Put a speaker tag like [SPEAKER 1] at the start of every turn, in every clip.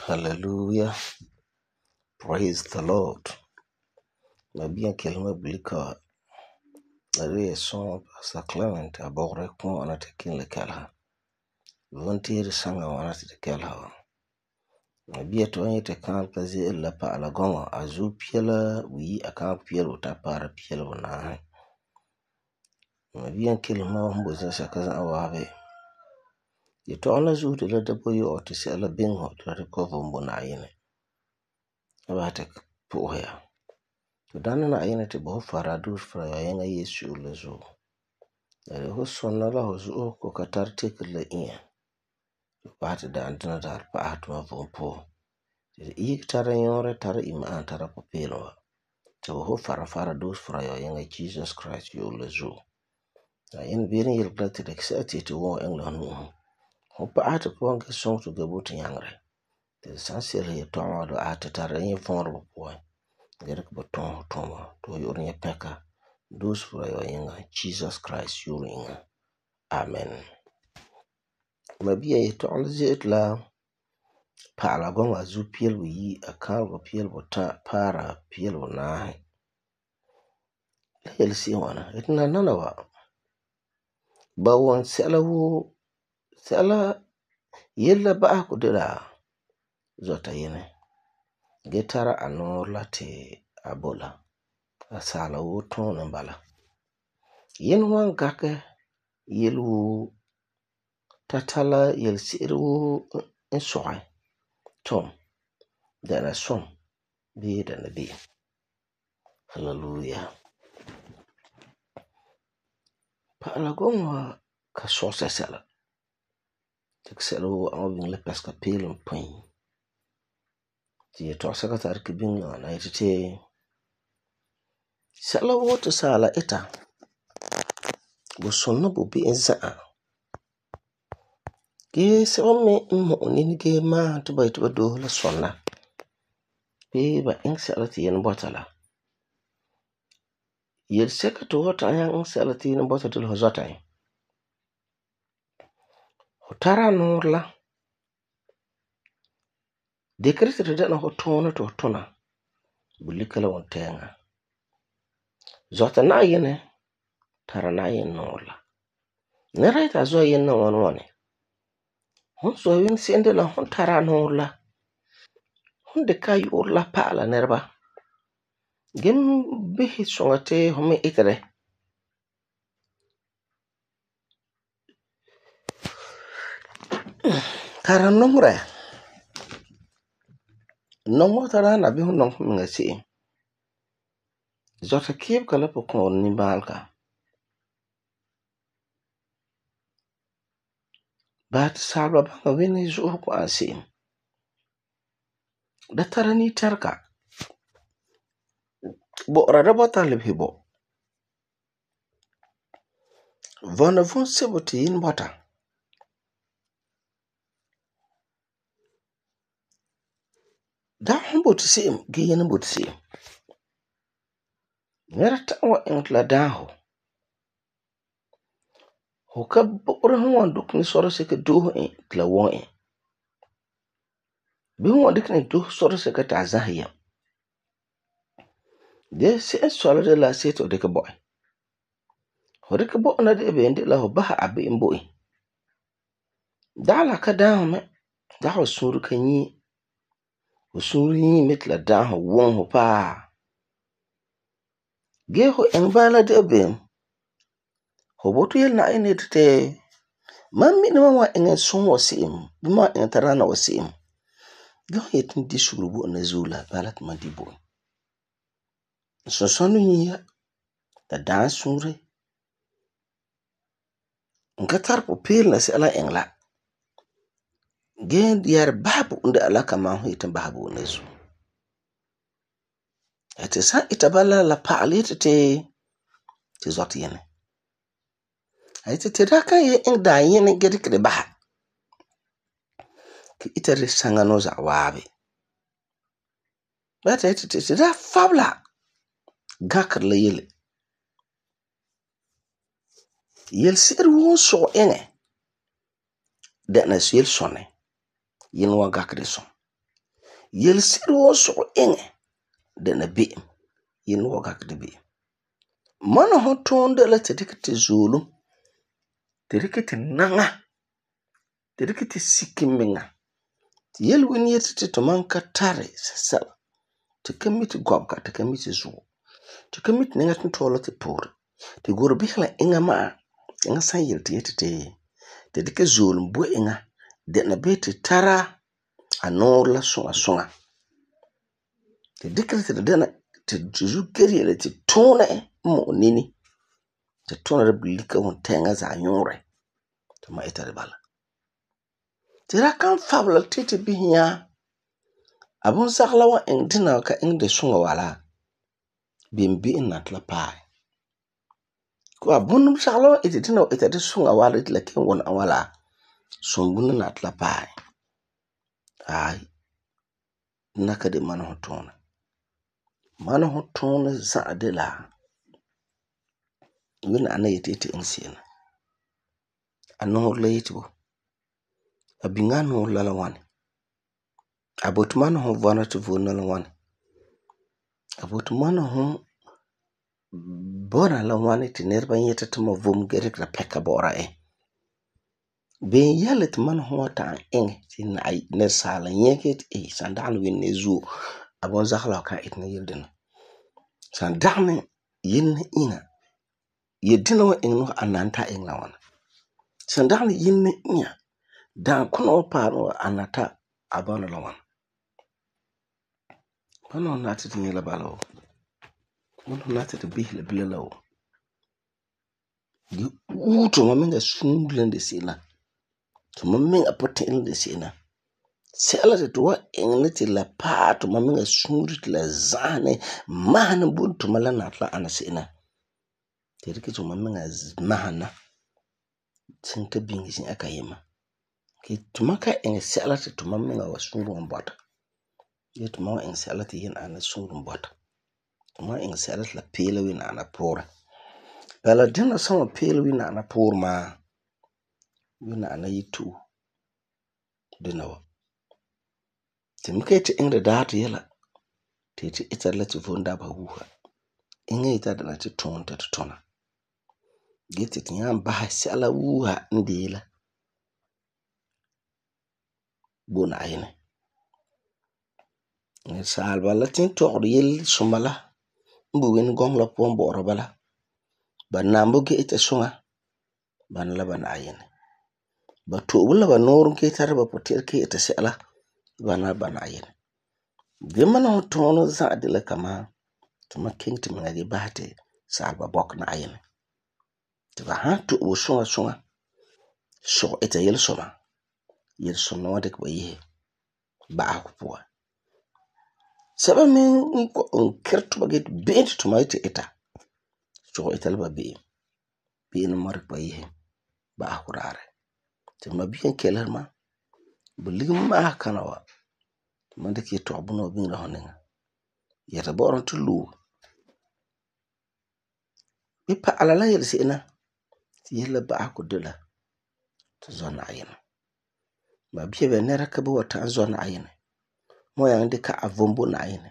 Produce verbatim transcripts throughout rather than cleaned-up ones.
[SPEAKER 1] Hallelujah. Praise the Lord. Mabia kelma bulika. Nare son Pastor Clement abogre kon ana tekin le kalha. Volunteer sanga wana te kalha. Mabia to anye te kan kaze la pa ala gonga azu piela wi akan pielo ta para pielo na. Mabia kelma mbo zasa kaza awabe. Ye to ana zu de la dabo yo te se ala bingo to recover mbo na yene. Aba te po ya. To dana na yene te bo fara dur fra ya yenga Yesu le zo. Dare ho sonna la ho zo ko katar te le in. Ba te dan dana dar pa atma vompo. Te i tara yore tara ima an tara popelo. Te ho fara fara dur fra ya yenga Jesus Christ yo le zo. Na yen birin yel plate de kse te wo engla nu. Ho pa ate po nge song to gabo te yangre. Te sansiel ye toma do ate tara yin fonro po. Gerek boton toma to yor nye peka. Those for your yenga Jesus Christ your yenga. Amen. Mabia ye to onzit la pa la gonga zu piel wi akal go piel bota para piel na. La yel si wana etna nana wa. Ba won sela wo sela yella ba ko de la zota yene. Getara anor la te abola. Asala wo ton nambala. Yen wan gake yelu tatala yel siru en soy tom dana som bi dana bi. Hallelujah. Pa ala gongwa ka sosa sala. Tek selo awing le peska pelum pin. Ti to saka tar ki binga na itete sala wo to sala eta. Bo sonna bo bi enza. Ge se me mo ni ge ma to ba to do la sonna. Be ba ing sala ti yen botala. Yel seka to wata yang sala ti yen botala ho zata. Hotara nur la. Dekrete de na ho tona to tona. Bulikala won tenga. Zota na yene tara na yen nur la. Nera ita zo yen na wan wane. Hon so yin sende la hon tara nur la. Hon de ka yor la pa la nerba. Gem bihi songate home itere. Kara nomre. Nomo tara na bihu nom nga si. Zota kiep kala po kon ni balka. Bat salwa banga wini zuhu ko ansi. Da tara ni terka. Bo rada bota libhi bo. Vona von sebo ti yin bota. Da hon boti sim, gi yin boti sim. Nera tawa engla daho. Hoka bora hon duk ni soro seke duho en tla won en. Bi hon dik ni duho soro seke ta zahiyam. De se en solo de la seto deke boy. Ho deke boy na de ebe indi la ho baha abe mboi. Da la ka daho me. Da ho suru ka nyi. Ho suru nyi mitla daho won ho pa. Ge ho engbala de ebe. Ho botu yel na ene te. Mami ni mwa engen son wasim. Bima engen tarana wasim. Ge ho yetin di surubu na zula. Balat ma di bo. So sonu nyi ya. Da dan sure. Nga tar po pil na se ala engla. Gen diyar babu unde ala kama ho yetin babu na zu. Ate sa itabala la paali te te. Te zot yene. Ate te raka ye eng da yene gedi kede baha. Ki itari sanga no za wabi. Bata ate te te da fabla. Gakar la yele. Yel sir won so enge. Dena yel sonne. Yen wa gakar de son. Yelse'ere woo sɔgɔ eŋɛ dɛna be'em, yele wa gakɛ de be'em. Mana ho tuun de la ti dikɛ ti zoolum, ti dikɛ ti naŋa, ti dikɛ ti siki miŋa. Ti yelwin yeti ti tuman ka tari sɛsɛla, ti ka mi ti gɔbega, ti ka mi ti zuo, ti ka mi ti nɛŋa tuntɔɔla ti poore. Ti gurɛ bisɛ la eŋa ma'a, eŋa san yele ti yeti ti ti dikɛ zoolum bo eŋa dɛna bee ti tara a nuurɛ la suŋa suŋa. Ti dikɛ ti dɛna ti zu kere yele ti tuunɛ n mu'u nini, ti tuunɛ la bulika wuntɛɛŋa zaɛ nyuurɛ. Ti ma ita de bala. Ti ra kan fabela ti ti bisɛ nya abunzagɔ la wan iŋɛ dina wa ka iŋɛ de suŋa wa la, beni be'em na ti la paɛ. Ko abunzagɔ la wan iti dina wa ita de suŋa wa la ti la kelum wuna wa la, suŋbunɔ na ti la paɛ. Aai, dina ka de mana ho tuunɛ. Mana ho tuunɛ za'a de la Wuni ana yeti yeti iŋɛ se'em na. A nuurɛ la yeti bo, a biŋe a nuurɛ la la ŋwani? A boti mana ho vɔna ti vom la la ŋwani? A boti mana ho bɔna la ŋwani ti nɛreba nyɛta ti ma vom gee dikera pɛka bɔ'ɔra e? Beni yɛle ti mana ho wan ta'am iŋɛ ti nɛresaala nyɛ gee ti ee san dagena Wuni de zuo, abunzagɔ la fu kan itina yele dina. San dagena yele la iŋa, yele dina wan iŋɛ a nan ti a iŋɛ la ŋwana? San dagena yele la iŋa, dankuna wa paɛ wa a na ti a bɔna la ŋwana? Mana ho nari ti tu nyɛ la bala woo. Mana ho nari ti tu bisɛ la bilam la woo. Gee use tuma miŋa suunre la n de se'em la, tuma miŋa puti'irɛ la n de se'em la, sɛla ti tu wan iŋɛ ti la paɛ tuma miŋa suunre ti la za'ahɛ mahɛ bo tuma la nari ti la ana se'em la, ti dikɛ tuma miŋa mahena kiŋɛ ta biŋe zi'an kayema. Gee tuma ka iŋɛ sɛla ti tuma miŋa wa suunre wan bɔta. Gee tuma wan iŋɛ sɛla ti Yinɛ ana suunre bɔta. Tuma wan iŋɛ sɛla ti la peela Wini ana puurɛ. Bala dina san wan peela Wini ana puurɛ maa, Wini ana yeto'e dina wa. Ti me ka yeti iŋɛ daarɛ yɛla ti yeti ita la ti vom dabeha wuuha. Eŋa yeti a dɛna ti tuunɛ ti tu tuna. Gee ti tu nyaa basɛ sɛla wuuha n de la bo Na'ayinɛ. Nɛresaaleba la tintɔgeri yelesoma la n boi Wini gɔŋɔ la puan bɔ'ɔra bala. Ba nambo gee ita suŋa, bana la ba Na'ayinɛ. Ba to'obo la ba nuuren gee tara ba puti'irɛ gee ita sɛla, bana la ba Na'ayinɛ. Gee mana ho tuunɛ za'a de la kamaa tuma kiŋɛ timiŋa gee basɛ ti saaleba bɔkɛ Na'ayinɛ. Ti ba han to'obo suŋa suŋa, sɔgɛ ita yelesoma, yelesoma wan dikɛ ba yese ba'asegɔ puan. Sɛba me n keri tuba gee ti be'em ti tuma yeti ita, sɔgɛ ita la ba be'em. Be'em wan dikɛ ba yese ba'asegɔ daarɛ. Ti mabia n keleheri ma, bulika ma'asa kana wa, tuma dikɛ yetɔgum bunɔ wa biŋera fu niŋa. Yɛta bɔ'ɔra ti loe. Ge pa'ala la yelese'em la ti yele la ba'asegɔ de la tu zɔ Na'ayinɛ. Babia beni nɛra ka boi wa ta'am zɔ Na'ayinɛ. Fu wan nyaŋɛ dikɛ a vom bo Na'ayinɛ.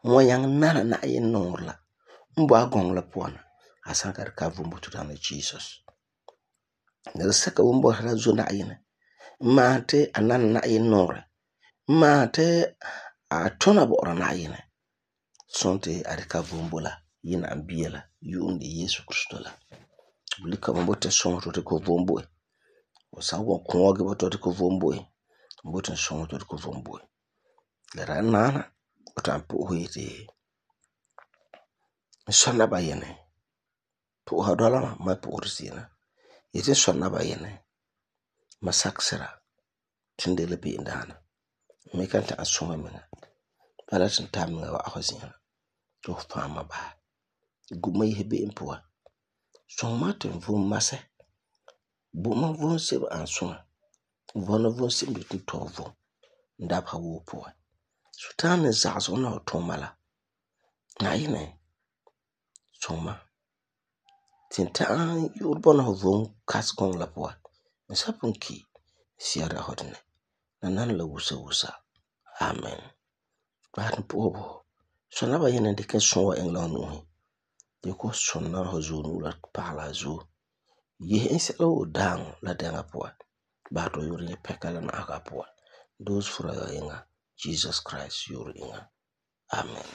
[SPEAKER 1] Fu wan nyaŋɛ nana Na'ayinɛ nuurɛ la n boi a gɔŋɔ la puan na, a san ka dikɛ a vom bo to Daana Jesus. Nɛresɛka woo n bɔta la zɔ Na'ayinɛ, n maahɛ ti a nana Na'ayinɛ nuurɛ, n maahɛ ti a tuna bɔ'ɔra Na'ayinɛ, sɔn ti a dikɛ a vom bo la Yinɛ ani bia la yu'um de Yesu Krista la. Bulika me boti n suŋɛ ti fu dikɛ fu vom bo e. Fu san wan kuŋa gee boti fu dikɛ fu vom bo e, n boti n suŋɛ ti fu dikɛ fu vom bo e. La dagena naana fu ta'am po'e fu yeti n sɔ naba Yinɛ. Po'oha dɔla ma, ma po'ohere se'em la. Yeti n sɔ naba Yinɛ, ma sakɛ sira ti n de la be'em daana. N me kan ta'am suŋɛ n miŋa. Bala ti n tari n miŋa wa'am fu zi'an la ti fu fa'am ma basɛ. Gu ma yese be'em puan. Suŋɛ ma ti n vom masɛ. Bo ma vom sebo n ani suŋa. N vɔna vom sebo n de ti n tɔi vom n dabeha woo puan. Sultana n zagesegɔ na fu tuuma la, Na'ayinɛ suŋɛ ma ti n ta'am yu'urɛ bɔna fu vom kasegɔŋɔ la puan. N san pugum ki, n si'a dagɛ fu dinɛ. Nananawa la wusa wusa. Amen. Ba ni po'ohe bo. Sona ba yene dikɛ sɔn wa iŋɛ la hu nu'usi. Di ko sonna hu zuo nu'o la pagalɛ a zuo. Yehe en sɛla woo daaŋɔ la dɛŋa puan. Ba to yoro nyɛ pɛka la na'aga puan. Doose fura ya yiŋa Jesus Christ yoro yiŋa. Amen.